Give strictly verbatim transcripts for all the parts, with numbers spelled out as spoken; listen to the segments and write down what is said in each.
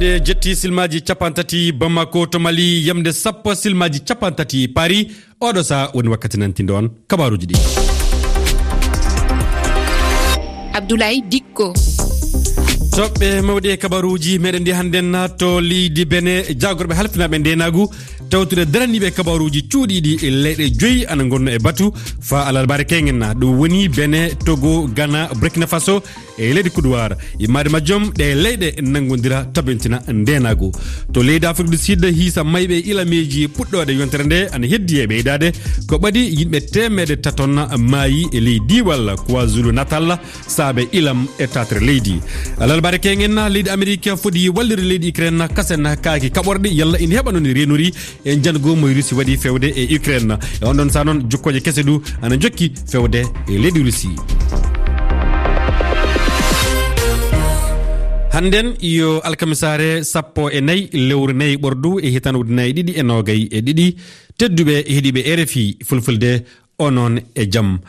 Ɗe jetti silmaaji capanɗe tati Bamako to Mali, yamde sappo silmaaji capanɗe tati Paris. Oɗo saha woni wakkati nantindo on kabaruuji ɗi. Abdoulaye Dikko. Toɓɓe mawɗe e kabaruuji meɗen ɗi hannden na to leydi Bene, jaagorɓe halfinaaɓe ndeenaagu tawtude daraniiɓe kabaruuji cuuɗiiɗi e leyɗe joyi ana ngonno e batu fa alarbaare keŋen na. Ɗum woni Bene, Togo, Ghana, Burkina Faso, e leydi Kuduwaar. Yimmaade majjum, ɗe leyɗe nanngodira tabintina ndeenaagu. To leydi Afrik du Sud, hiisa mayɓe ilameeji puɗɗooɗe yontere nde ana heddi e ɓeydaade. Ko ɓadi yimɓe teemeɗe taton maayi e ley diiwal KwaZulu Natal, saabe ilam e tatere leydi. Alarbaare keŋen, leydi Amerik fodi wallirde leydi Ukraine kasen kaaki kaɓorɗe, yalla ina heɓa noon reenori e jango mo Russie waɗi fewde e Ukraine. E on ɗon saha noon, jokkooje kese du ana jokki fewde e leydi Russie. Hannden yo alkamisaare sappo e nayi lewru nayi ɓordu e hitan ujunaaji ɗiɗi e noogay e ɗiɗi. Tedduɓe heɗiiɓe R F I Fulfulde, onon e jam.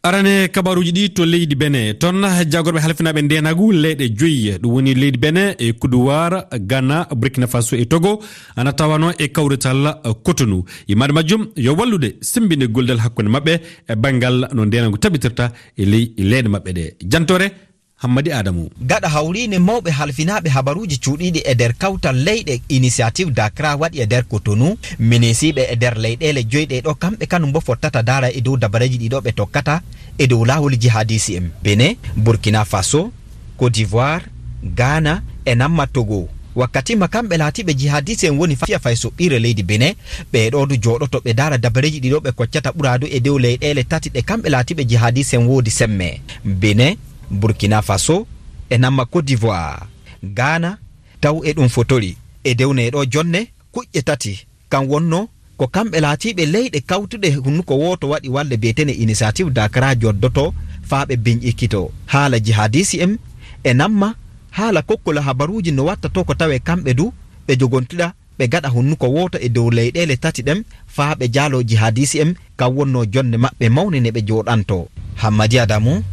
Arane kabaruuji ɗi to leydi Bene. Toon, jaagorɓe halfinaaɓe ndeenaagu leyɗe joyi, ɗum woni leydi Bene e Kuduwaar, Ghana, Burkina Faso e Togo, ana tawano e kawrital Cotonou. Yimmaade majjum yo wallude sembinde gollidal hakkunde maɓɓe e banngal no ndeenaagu tabitirta e ley leyɗe maɓɓe ɗe. Jantoore Hammadi Adamu. Gaɗa hawriine mawɓe halfinaaɓe habaruuji cuuɗiiɗi e nder kawtal leyɗe Initiative d'Accra waɗi e nder Cotonou, minisiiɓe e nder leyɗeele joyi ɗe ɗo kamɓe kanum bo fottata daara e dow dabareeji ɗi ɗo ɓe tokkata e dow laawol jihadisi en. Benin, Burkina Faso, Côte d'Ivoire, Ghana e namma Togo. Wakkati ma kamɓe laatiiɓe jihadisi en woni fiya fay soɓɓiire leydi Benin, ɓe ɗo du jooɗoto ɓe daara dabareeji ɗi ɗo ɓe koccata ɓuraadu e dow leyɗeele tati ɗe kamɓe laatiiɓe jihadisi en woodi semme. Benin, Burkina Faso e namma Côte d'Ivoire, Ghana, taw e ɗum fotori e dewne ɗo jonne kuƴƴe tati. Kam wonno ko kamɓe laatiiɓe leyɗe kawtuɗe hunnuko wooto waɗi walle biyeteene Initiative d'Accra joddoto faa ɓe biñƴikkito. Haala jihadisi en e namma haala kokkola habaruuji no watta to ko tawee kamɓe du ɓe jogontira ɓe gaɗa hunnuko wooto e dow leyɗeele tati ɗen faa ɓe jaaloo jihadisi en, kam wonnoo jonnde maɓɓe mawne ne ɓe jooɗantoo. Hammadi Adamu,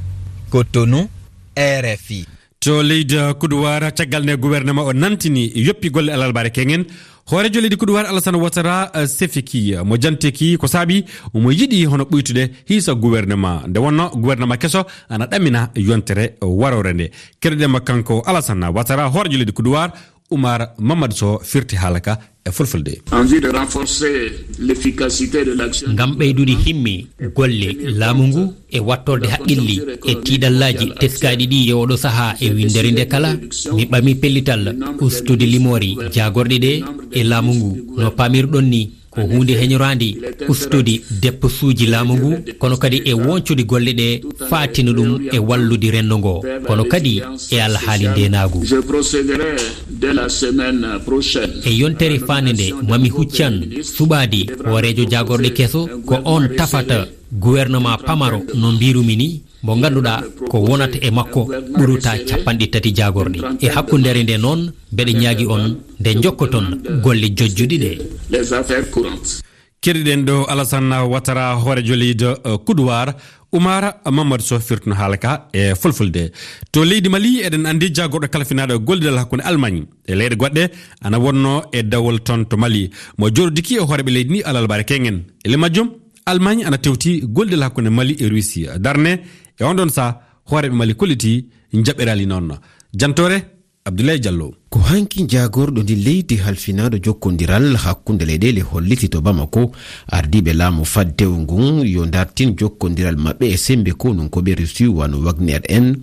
Cotonou, R F I. To leydi Kuduwaar, caggal nde gouvernement o nantini yoppi golle alarbaare keŋen, hooreejo leydi Kuduwaar Alassane Ouattara, eh, sefiki mo janteki ko saabi omo yiɗi hono ɓuytude hiisa gouvernement. Nde wonno gouvernement keso ana ɗamina yontere waroore nde. Keɗoɗen mo kanko Alassane Ouattara, hooreejo leydi Kuduwaar, Oumar Mamadou Sow firti haala ka e fulfulde. En vue de renforcer l'efficacité de l'action. Ngam ɓeydude himme golle laamu ngu e wattorde haqqilli e tiiɗallaaji teskaaɗi ɗi e oɗo sahaa e winndere nde kala, mi ɓami pellital ustude limoori jaagorɗe ɗe e laamu ngu. No paamirɗon ni, ko huunde heñoraande ustude depposuuji laamu ngu, kono kadi e woñcude golle ɗe, faatina ɗum e wallude renndo ngo, kono kadi e alhaali ndeenaagu. Je procéderai dès la semaine prochaine. E yontere faande nde, mami huccan suɓaade hooreejo jaagorɗe keso, ko oon tafata gouvernement pamaro no mbirumi ni, mo ngannduɗaa ko wonata e makko ɓuruta capanɗe tati jaagorɗe. E hakkundeere nde noon, mbeɗa ñaagi on nde njokkoton golle jojjuɗi ɗe. Les affaires courantes. Keɗiɗen ɗo Alassane Ouattara, hooreejo leydi, eh, Kuduwaar, Oumar Mamadou Sow firtino haala ka e fulfulde. To leydi Mali, eɗen anndi jaagorɗo kalfinaaɗo gollidal hakkunde Allemagne e leyɗe goɗɗe ana wonno e dawol toon to Mali. Mo jooɗodiki e hooreeɓe leydi ni alarbaare keŋen. E ley majjum, Allemagne ana tewti gollidal hakkunde Mali e Russie. Darne e on ɗon saha, hooreeɓe Mali kolliti njaɓɓiraali noon. Jantoore, Abdoulaye Diallo. Ko hanki jaagorɗo ndi leydi halfinaaɗo jokkondiral hakkunde leyɗeele holliti to Bamako, ardiiɓe laamu faddewu ngun yo dartin jokkondiral maɓɓe e sembe konunkooɓe Russie wano Wagner en.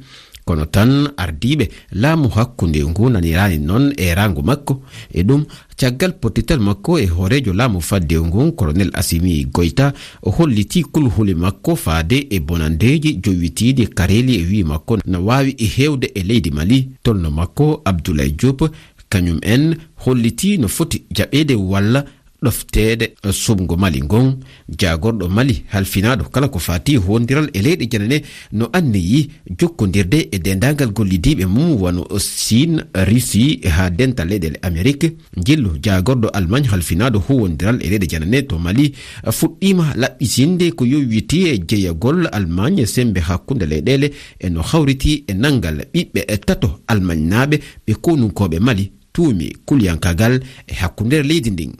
Kono tan ardiiɓe laamu hakkunde ngu naniraani noon e raango makko. E ɗum, caggal pottital makko e hooreejo laamu faddewu ngun, Colonel Assimi Goïta, o hollitii kulhuli makko faade e bonandeeji jowitiiɗi kareeli e wi'i makko na waawi e heewde e leydi Mali. Tolno makko Abdoulaye Diop, kañum en hollitii no foti jaɓeede walla ɗofteede suɓngo Mali ngon. Jaagorɗo Mali halfinaaɗo kala ko faati huwondiral e leyɗe janane no anniyi jokkondirde e deendaangal gollidiiɓe mum wano Siin, Russie haa dental leyɗeele Amerik. Njillu jaagorɗo Allemagne halfinaaɗo huwondiral e leyɗe janane to Mali fuɗɗiima laɓɓitinde ko yowiti e jeyagol Allemagne e semmbe hakkunde leyɗeele e no hawriti e nanngal ɓiɓɓe tato Allemagnenaaɓe ɓe konunkooɓe Mali. tuumi kuliyankaagal e hakkundeere leydi ndin.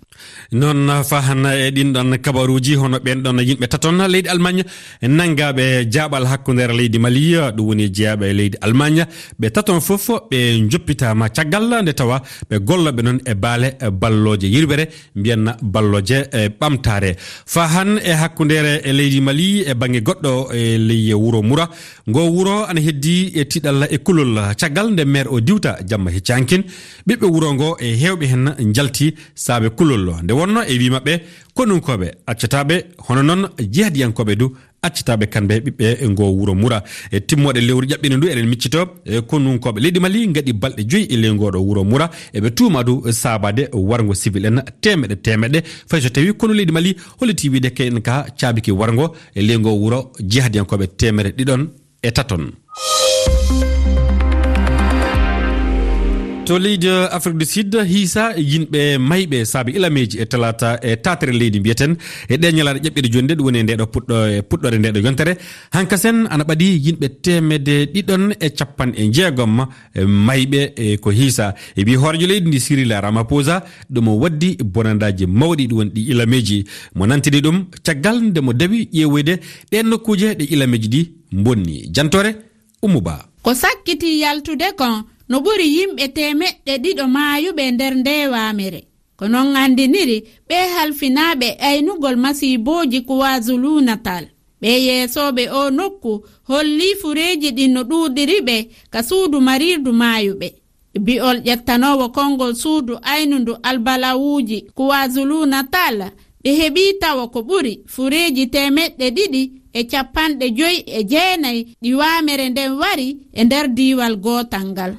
Noon, faa hannde e ɗin ɗon kabaruuji, hono ɓeen ɗon yimɓe taton leydi Almaañ nanngaaɓe jaaɓal hakkundeere leydi Mali, ɗum woni jeyaaɓe e leydi Almaañ, ɓe taton fof ɓe njoppitaama caggal nde tawa ɓe gollooɓe noon e baale ballooje yirwere, mbiyanna ballooje, e, ɓamtaare. Faa hannde e hakkundeere e leydi Mali e bannge goɗɗo e ley wuro Mura, ngo wuro ana heddii e tiiɗalla e kulol. Caggal nde meer o diwta jamma hecci hankin, ɓiɓɓe wuro ngo e heewɓe heen njalti saabe kulol. Nde wonnoo e wii maɓɓe, konunkooɓe accataaɓe, hono noon jihadiyankooɓe du accataaɓe kamɓe ɓiɓɓe ngo wuro Mura. E timmooɗe lewru ƴaɓɓiindi ndu eɗen miccitoo, e konunkooɓe leydi Mali ngaɗi balɗe joyi e ley ngooɗo wuro Mura. Eɓe tuumaa du saabaade warngo civil en teemeɗe teemeɗe. Fay so tawii konu leydi Mali hollitii wiide kayen ka caabiki warngo e ley ngo wuro jihadiyankooɓe teemere ɗiɗon e taton. To leydi Afrique du Sud, hiisa yimɓe mayɓe saabe ilameeji e talaata e taatere leydi mbiyeten e ɗee ñalaaɗe ƴaɓɓiiɗe jooni nde, ɗum woni e ndeeɗo puɗɗo-, e puɗɗoore ndeeɗo yontere. Hankasen ana ɓadii yimɓe teemedde ɗiɗon e capanɗe jeegom e mayɓe, e ko hiisa. E ɓii hooreejo leydi ndi Cyril Ramaphosa, ɗum o waddi bonandaaji mawɗi ɗum woni ɗi ilameeji. Mo nantini ɗum caggal nde mo dawi ƴeewoyde ɗeen nokkuuje ɗe ilameeji ɗi mbonni. Jantoore Ummu Ba. Ko sakkitii yaltude kon, no ɓuri yimɓe teemeɗɗe ɗiɗo maayuɓe nder ndee waamere. Ko non anndiniri ɓee halfinaaɓe aynugol masiibooji KwaZulu-Natal. Ɓee yeesooɓe oo nokku hollii fureeji ɗin no ɗuuɗiri ɓe ka suudu marirdu maayuɓe. Bi'ol ƴettanoowo konngol suudu aynundu albalawuuji KwaZulu-Natal, ɓe heɓii tawo ko ɓuri fureeji teemeɗɗe ɗiɗi e capanɗe joyi e jeenay ɗi waamere nden wari e nder diiwal gootal ngal.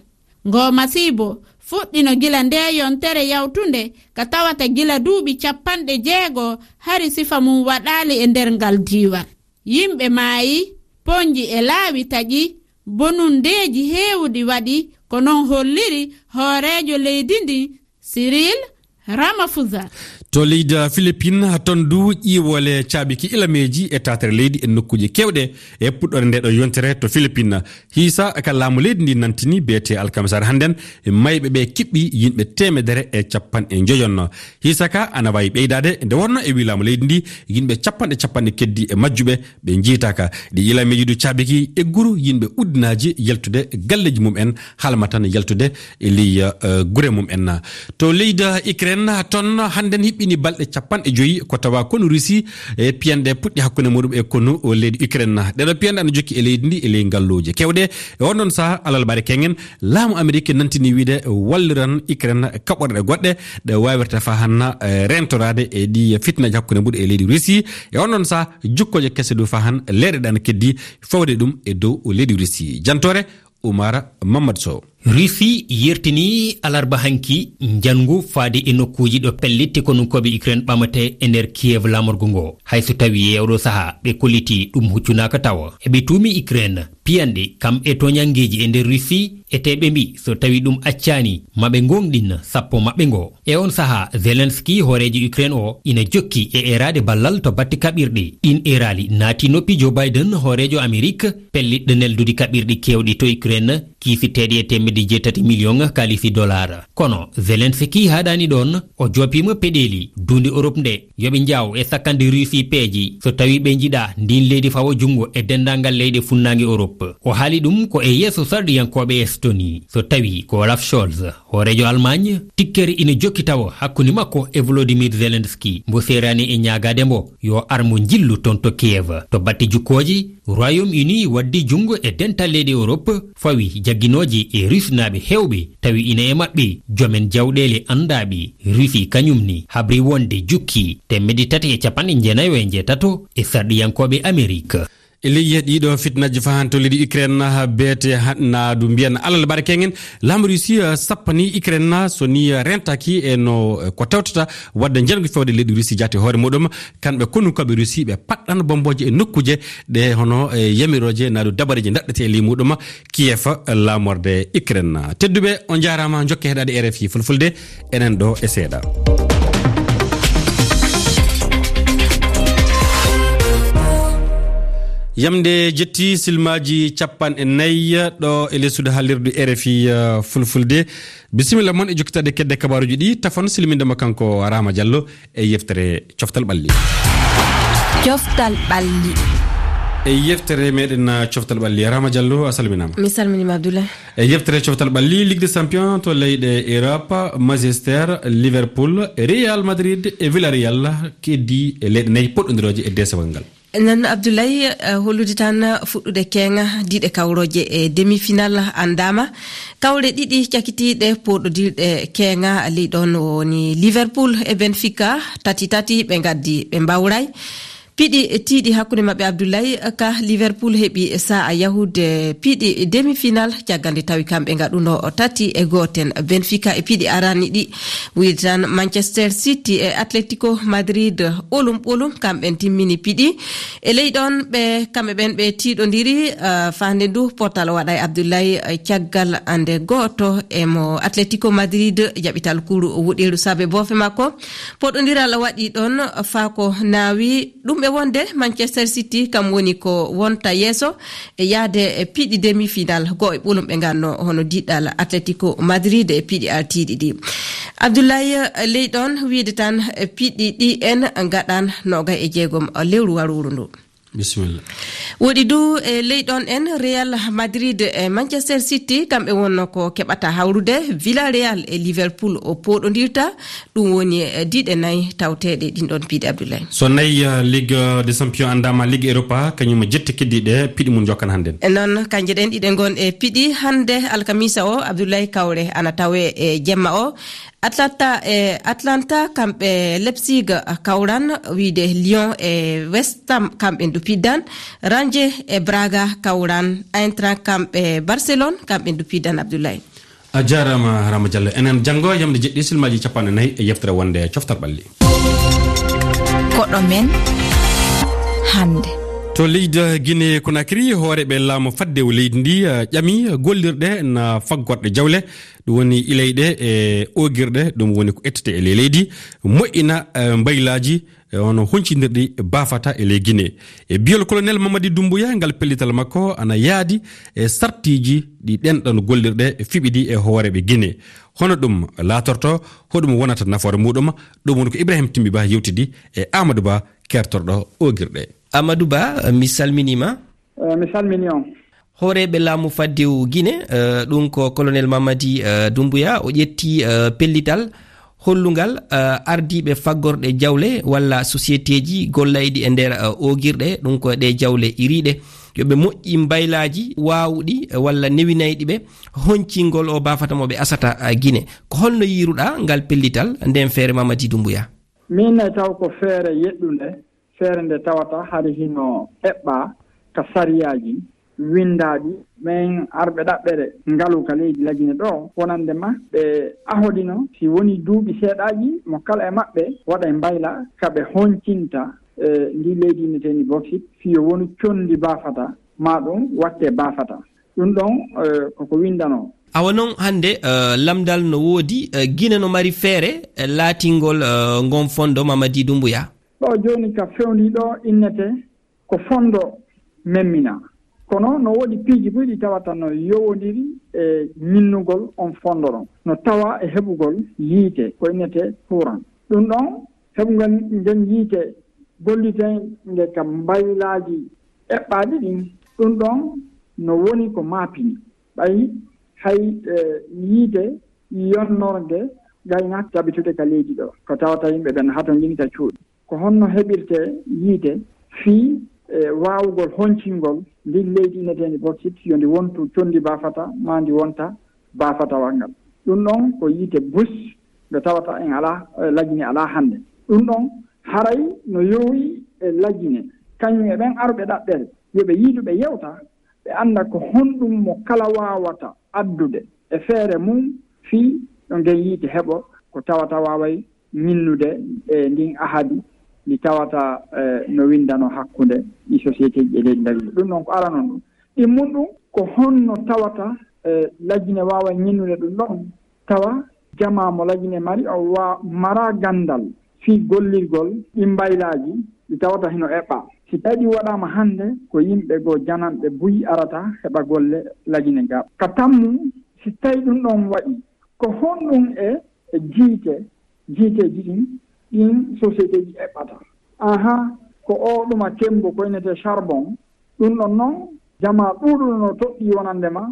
Ngoo masiibo fuɗɗino gila ndee yontere yawtunde, ka tawata gila duuɓi capanɗe jeego hari sifa mum waɗaali e nder ngal diiwal. Yimɓe maayi, ponji e laawi taƴi, bonundeeji heewuɗi waɗi, ko non holliri hooreejo leydi ndin, Cyril Ramaphosa. To leydi Philippines, ton du ƴiiwoole caabiki ilameeji e taatere leydi e nokkuuje keewɗe e puɗɗoore ndee ɗoo yontere to Philippines. Hiisa ka laamu leydi ndi nantini beete alkamisaare hannden, mayɓe ɓe kiɓɓi yimɓe teemedere e capanɗe njoyon. Hiisa ka ana waawi ɓeydaade nde wonnoo e wii laamu leydi ndi yimɓe capanɗe capanɗe keddi e majjuɓe ɓe njiytaaka. Ɗi ilameeji du caabiki egguru yimɓe uddinaaji yaltude galleeji mum en, halma tan yaltude e ley, eh, gure mum en. To leydi Ukraine, ton hannden hiɓɓini balɗe capanɗe joyi ko tawa konu Russie e piyanɗe puɗɗi hakkunde muɗum e konu leydi Ukraine. Ɗeɗo piyanɗe ana jokki e leydi ndi e ley ngalluuje keewɗe. E on ɗon saha, alarbaare keŋŋen, laamu Amerik nantini wiide walliran Ukraine kaɓorɗe goɗɗe ɗe waawirta fahan, eh, rentoraade e ɗi fitnaaji hakkunde muɗum e leydi Russie. E on ɗon saha, jukkooje kese du fahan leeɗe ɗe ana keddi fawde ɗum e dow leydi Russie. Jantoore Umar Mamadou Sow. Russie yertini alarba hanki njanngu faade e nokkuuji ɗo pellitte konunkooɓe Ukraine ɓamate e nder Kiev laamorgo ngo. Hay so tawi e oɗo saha ɓe kolliti ɗum huccunaaka tawa. Eɓe tuumi Ukraine piyanɗe kam e toñanngeeji e nder Russie, e te ɓe mbi so tawi ɗum accaani ma ɓe ngoongɗin sappo maɓɓe ngo. E on saha, Zelensky, hooreejo Ukraine o, ina jokki e eeraade ballal to batte kaɓirɗe. Ɗin eeraali naati noppi Joe Biden, hooreejo Amerik, pellitɗo neldude kaɓirɗe keewɗe to Ukraine, kiisiteeɗe e teemedde jeetati miliyoŋ kaalisi dollar. Kono Zelensky haaɗaani ɗoon, o joopiima peɗeeli duunde Europe nde yo ɓe njaaw e sakkande Russie peeje so tawi ɓe njiɗa ndin leydi fawa junngo e denndaangal leyɗe funnaange Europe. O haali ɗum ko e yeeso sarɗiyankooɓe Estonie, so tawi ko Olaf Scholz, hooreejo Allemagne, tikkere ina jokki tawa hakkunde makko e Volodymyr Zelensky, mbo seeraani e ñaagaade mbo yo ar mo njillu toon to Kiev. To batte jukkooje, Royaume-Uni waddi junngo e dental leyɗe Europe, fawi jagginooje e Rusnaaɓe heewɓe, tawi ina e maɓɓe joomen jawɗeele anndaaɓe. Russie kañum ne habri wonde jukki teemedde tati e capanɗe jeenayo e njeetato e sarɗiyankooɓe Amerik. E ley ɗiɗo fitnaaji fahanto leydi Ukraine, beete ha-, naadu mbiyan alal barke ngen, laamu Russie, eh, sappani Ukraine na, so ni, eh, rentaki e no, eh, ko tawtata wadde njangu fewde leydi Russie jaati hoore muɗum, kamɓe konunkooɓe Russie ɓe paɗɗan bombooje e nokkuuje ɗe hono, eh, yamirooje naadu dabareeje daɗɗete e ley muɗum Kiev, eh, laamorde Ukraine. Tedduɓe, on njaaraama, njokke heɗaade R F I Fulfulde, enen ɗo e seeɗa. Yamde jetti silmaaji capanɗe nayi ɗo e lessude haalirdu R F I, eh, Fulfulde. Bisimilla mon e jokkitaade kedde kabaaruuji ɗi, tafon silminde mo kanko Rama Diallo e yeftere Coftal Ɓalli. Coftal Ɓalli. E yeftere meɗen, eh, Coftal Ɓalli, Rama Diallo, a salminaama. Mi salminiima, Abdoulaye. E yeftere Coftal Ɓalli, Ligue des Champions to leyɗe Europe, Manchester, Liverpool, Real Madrid e Villarreal keddii e leyɗe nayi poɗɗondirooje e deesewal ngal. Noon, Abdoulaye, eh, hollude tan fuɗɗude keeŋa, diɗe kawrooje e demi-final anndaama. Kawre ɗiɗi cakitiiɗe pooɗondirɗe keeŋa, ley ɗoon woni Liverpool e Benfica, tati tati ɓe ngaddi, ɓe mbawray. Piɗi tiiɗi hakkunde maɓɓe, Abdoulaye, ka Liverpool heɓi sa'a yahude piɗi demi-final, caggal nde tawi kamɓe ngaɗuno tati e gooten Benfica e piɗi arani ɗi. Wiyde tan Manchester City e Atletico Madrid ɓolum ɓolum, kamɓe timmini piɗi. E ley ɗoon ɓe, kamɓe ɓen ɓe tiiɗondiri, ah, faande ndu potal waɗa e Abdoulaye, eh, caggal nde gooto e mo Atletico Madrid jaɓi talkuru wuɗiru saabe boofe makko. Poɗondiral waɗi ɗoon faa ko naawi ɗum e wonde Manchester City kam woni ko wonta yeeso e yahde e piɗi demi-final goo e ɓolum ɓe nganno hono diɗɗal Atletico Madrid e piɗi artiiɗi ɗi. Abdoulaye, ley ɗoon wiyde tan piɗi ɗi en ngaɗan noogay e jeegom lewru warooru ndu. Bisimilla. Woɗi du e ley ɗoon en Real Madrid e Manchester City, kamɓe wonno ko keɓata hawrude. Villarreal e Liverpool o pooɗondirta. Ɗum woni, eh, diɗe nayi tawteeɗe ɗin ɗoon piɗi, Abdoulaye. So nayi, eh, Ligue des Champions anndaama, Ligue Europa, kañum e jette keddiiɗe piɗi mum jokkan hannde. E noon, kanje ɗen ɗiɗe ngon e piɗi hannde alkamisa o, Abdoulaye, kawre ana tawe e jemma o. Atlanta e Atlanta, kamɓe Leipzig kawran, wiyde Lyon e West Ham, kamɓe ndu piddan. Rangers e Braga kawran. Eintracht kamɓe Barcelone, kamɓe ndu piddan, Abdoulaye. A jaaraama, Rama Diallo. Enen janngo, yamde jeɗɗi, silmaaji capanɗe nayi e yeftere wonde Coftal Ɓalli. Koɗo men hannde. To leydi Guinée Conakry, hooreeɓe laamu faddewu leydi ndi, eh, ƴami gollirɗe na faggorɗe jawle, ɗum woni ilayɗe e oogirɗe, ɗum woni ko ettete e ley leydi, moƴƴina, eh, mbaylaaji, e hono honcindirɗi baafata e ley Guinée. E biyol Colonel Mamadi Doumbouya, ngal pellital makko ana yaadi e sartiiji ɗi ɗen ɗon gollirɗe fiɓi ɗi e hooreeɓe Guinée. Hono ɗum laatorto, hoɗum wonata nafoore muɗum? Ɗum woni ko Ibrahim Timbi Ba yewtidi e Amadou Ba, keertorɗo oogirɗe. Amadou Ba, mi salminiima. Eh, mi salmini on. Hooreeɓe laamu faddewu Guinée, eh, ɗum ko Colonel Mamadi, eh, Doumbouya, o ƴetti, eh, pellital hollungal, eh, ardiiɓe faggorɗe jawle walla sociétéji gollayɗi e nder, eh, oogirɗe, ɗum ko ɗe jawle iriiɗe, yo ɓe moƴƴi mbaylaaji waawuɗi, eh, walla newinayɗi ɓe honcingol o baafata mo ɓe asata, eh, Guinée. Ko holno yiiruɗaa ngal pellital nden feere, Mamadi Doumbouya? Min ne taw ko feere yeɗɗunde, feere nde tawata hari hino eɓɓaa ka sariyaaji winndaaɗi. Men arɓe ɗaɓɓere ngalu ka leydi Lagine ɗo, wonande ma ɓe ahoɗino, si woni duuɓi seeɗaaji, mo kala e maɓɓe waɗa e mbayla ka ɓe honcinta, e ndi leydi inneteendi boksit, fii yo wonu conndi baafata, maa ɗum watte baafata. Ɗum ɗon, eh, koko winndanoo. Awa non hannde, eh, lamndal no woodi, eh, Gine no mari feere, eh, laatingol, eh, ngon fondo, Mamadi Doumbouya? Ɗo jooni ka fewndi ɗo innete ko fondo memmina. Kono no woodi piiji buy ɗi tawata no yowondiri e ñinnugol on fondo ɗon. No tawa e heɓugol yiite, ko innete courant. Ɗum ɗon, heɓugol ngen yiite gollitee nge ka mbaylaaji eɓɓaaɗi ɗin. Ɗum ɗon no woni ko maapini. Ɓay hay, eh, yiite yonnorge gayna tabitude ka leydi ɗo, ko tawata yimɓe ɓen hatonjini ka cuuɗi. Ko honno heɓirtee yiite fii, eh, waawugol honcingol ndin leydi inneteendi boksit, yo ndi wontu conndi baafata, maa ndi wonta baafatawal ngal? Ɗum ɗon ko yiite bus nde tawata en alaa, eh, Lagine alaa hannde. Ɗum ɗon haray no yowi e Lagine, kañum e ɓen arɓe ɗaɓɓere, yo ɓe yiidu ɓe yewta, ɓe annda ko honɗum mo kala waawata addude e feere mum fii yo ngen yiite heɓo ko tawata waaway ñinnude e ndin ahadi ndi tawata, eh, no winndano hakkunde ɗi sociétéji e leydi Lagine. Ɗum ɗon ko aranon ɗum. Ɗimmun ɗum ko honno tawata, eh, Lagine waawa ñinnude ɗum ɗon, tawa jamaa mo Lagine mari o wa-, mara ganndal fii gollirgol ɗin mbaylaaji ɗi tawata hino eɓɓaa. Si tawi ɗi waɗaama hannde, ko yimɓe goo jananɓe buy arata heɓa golle Lagine ga. Ka tammu, si tawi ɗum ɗon waɗi, ko honɗum e, e jiite, jiiteeji ɗin, ɗin sociétéeji eɓɓata? Aha, ko oo ɗuma kembu ko innetee charbon. Ɗum ɗon non, jamaa ɗuuɗuɗo no toɗɗii wonande ma,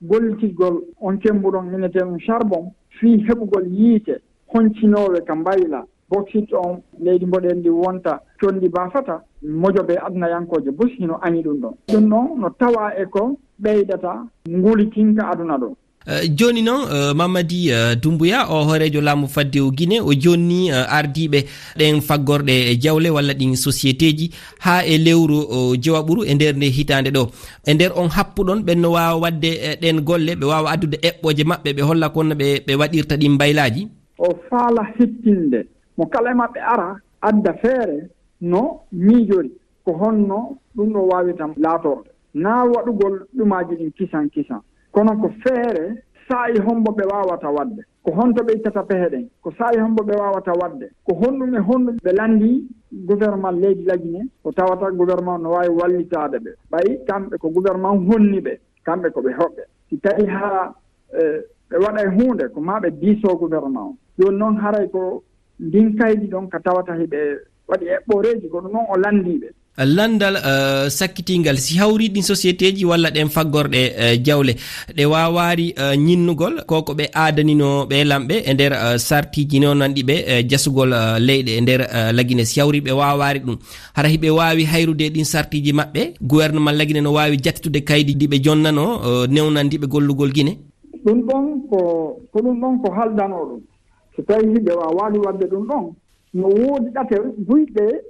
gollitirgol on kembu ɗon innetee ɗum charbon, fii heɓugol yiite honcinoowe ka mbayla, boksit on, leydi mboɗeeri ndi wonta conndi baafata, mojobe adunayankooje bus hino añi ɗum ɗon. Ɗum ɗon no tawaa e ko ɓeydata ngulitinka aduna ɗo. Eh, jooni noon, eh, Mamadi, eh, Dumbuya, o hooreejo laamu faddewu Gine, o jonni, eh, ardiiɓe ɗen faggorɗe e jawle walla ɗin sociétéeji haa e lewru, o, jowaɓuru e nder nde hitaande ɗo. E nder on happuɗon, ɓen no waawa waɗde, eh, ɗen golle, ɓe waawa addude eɓɓooje maɓɓe, ɓe holla kon no ɓe, ɓe waɗirta ɗin mbaylaaji? O faala hittinde mo kala e maɓɓe ara, adda feere no miijori, ko honno ɗum ɗo waawirta laatorɗe. Naa waɗugol ɗumaaji ɗin kisan kisan, kono ko feere saa'i hombo ɓe waawata waɗde. Ko honto ɓe ittata pehe ɗen? Ko saa'i hombo ɓe waawata waɗde? Ko honɗum e honɗum ɓe lanndii gouvernement leydi Lagine, ko tawata gouvernement no waawi wallitaade ɓe? Ɓay kamɓe ko gouvernement honni ɓe, kamɓe ko ɓe hoɓɓe. Si tawi hara, eh, ɓe waɗay huunde, ko maa ɓe diisoo gouvernement on. Jooni noon haray ko ndin kaydi ɗon ka tawata hiɓe waɗi eɓɓooreeji, ko ɗum noon o lanndii ɓe. Lanndal, eh, sakkitingal, si hawri ɗin sociétéeji walla ɗen faggorɗe, eh, jawle, ɗe waawaari, eh, ñinnugol ko ko ɓe aadaninoo ɓe lamɓe e nder, eh, sartiiji newnanɗi ɓe, eh, jasugol, eh, leyɗe e nder, eh, Lagine, si hawri ɓe waawaari ɗum, hara hiɓe waawi hayrude ɗin sartiiji maɓɓe, gouvernement Lagine no waawi jattitude kaydi ɗi ɓe jonnanoo, eh, newnanɗi ɓe gollugol Gine? Ɗum ɗon ko, ko ɗum ɗon ko haldanoo ɗum. So tawi hiɓe waawaali waɗde ɗum ɗon, no woodi ɗate buyɗe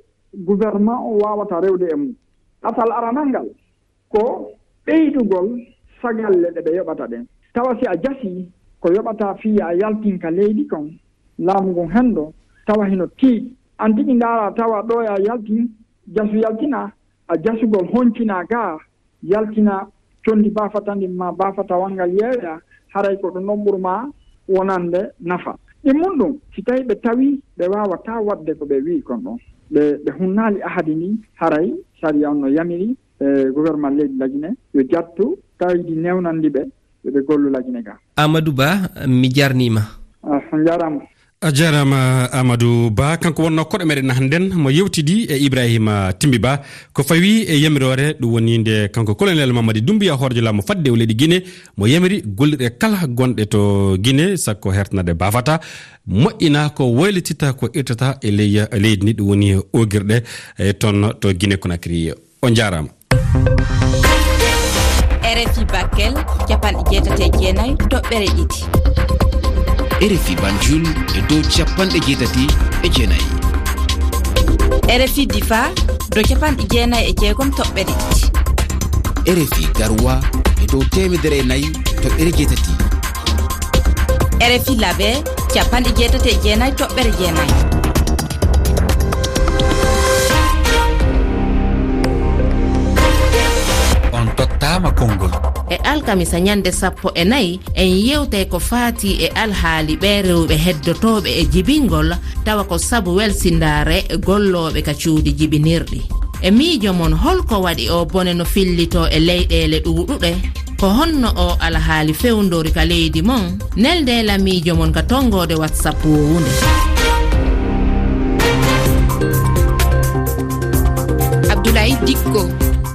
gouvernement o waawata rewde e mum. Ɗatal aranal ngal ko ɓeydugol sagalle ɗe ɓe yoɓata ɗen. Tawa si a jasii ko yoɓata fii a yaltin ka leydi kon, laamu ngun henndo, tawa hino tiiɗi. An tigi ndaara tawa ɗo a yaltin, jasu yaltina, a jasugol honcinaa gaa, yaltina conndi baafata ndin maa baafata wanngal yeeya, haray ko ɗum ɗon ɓuri maa wonande nafa. Ɗin mun ɗum, si tawi ɓe tawi ɓe waawataa waɗde ko ɓe wi'i kon ɗon, ɓe, ɓe hunnaali ahadi ndin, haray sariya on no yamiri, e, gouvernement leydi Lagine yo jattu kaydi newnandi ɓe, yo ɓe gollu Lagine ga. Amadou Ba, mi jarniima. Ah, on jaaraama. A jaaraama, Amadou Ba. Kanko wonnoo koɗo meɗen hannden, mo yewtidi e Ibrahima Timbi Ba. Ko fawi e yamiroore, ɗum woni nde kanko Colonel Mamadi Doumbouya, hooreejo laamu faddewu leydi Gine, mo yamiri gollirɗe kala gonɗe to Gine, sakko hertanade baafata, moƴƴina ko waylitita, ko irtata e ley, e leydi ndi, ɗum woni oogirɗe, e toon to Gine Conakry. On jaaraama. R F I Bakel, capanɗe jeetati e jeenayi toɓɓere ɗiɗi. R F I Banjul e dow capanɗe jeetati e jeenayi. R F I Difa, dow capanɗe jeenayi e jeegom toɓɓere ɗiɗi. R F I Garoua e dow teemedere e nayi toɓɓere jeetati. R F I Labe, capanɗe jeetati e jeenayi toɓɓere jeenayi. On tottaama konngol. E alkamisa ñande sappo e nayi, en yewtay ko faati e alhaali ɓee rewɓe heddotooɓe e jibingol, tawa ko sabu welsindaare gollooɓe ka cuuɗi jibinirɗi. E miijo mon, holko waɗi oo bone no fillitoo e leyɗeele ɗuuɗuɗe? Ko honno oo alhaali fewndori ka leydi mon? Nelde lamiijo mon ka tonngoode WhatsApp wowunde. Abdoulaye Dikko.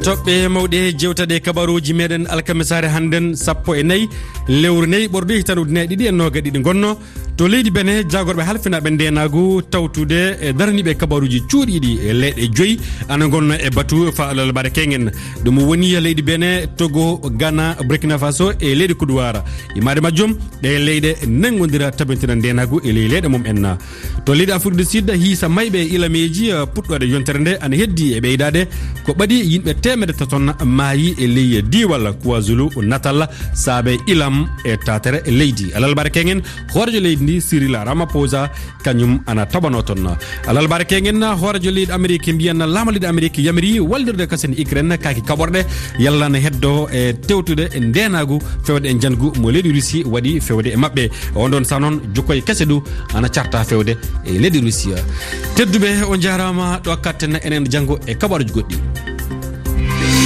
Toɓɓe mawɗe jewtaɗe kabaruuji meɗen alkamisaare hannden sappo e nayi lewru nayi ɓorɗo hitaande ujunere ɗiɗi e noogaɗe ɗiɗi ngonnoo. To leydi Benin, jaagorɓe halfinaaɓe ndeenaagu tawtude e daraniiɓe kabaruuji cuuɗiiɗi e leyɗe joyi ana ngonnoo e batu faa alarba keŋŋen. Ɗum woni leydi Benin, Togo, Ghana, Burkina Faso e leyɗe Kodowar. Imaade majjum, ɗee leyɗe nanngodira tabintina ndeenaagu e ley leyɗe mum en. To leydi Afrique du Sud, hiisa mayɓe e ilameeji, eh, puɗɗoode yontere nde ana heddii e ɓeydaade. Ko ɓadii yimɓe teemedde tati on maayi e ley diiwal KwaZulu Natal saabe ilam e taatere leydi. Alarba keŋŋen, hooreejo leydi Ndi Cyril Ramaphosa, kañum ana taɓanoo toon. Alalbaare keŋŋen, hooreejo leydi Amerik mbiyan laama leydi Amerik yamiri wallirde kasen Ukraine kaaki kaɓorɗe, yalla na heddo e tewtude e ndeenaagu fewde e njangu mo leydi Russie waɗi fewde e maɓɓe. On ɗoon sa noon, jokkoy kese du ana carta fewde e leydi Russie. Tedduɓe, on njaaraama, ɗo katten enen janngo e kaɓaruuji goɗɗi.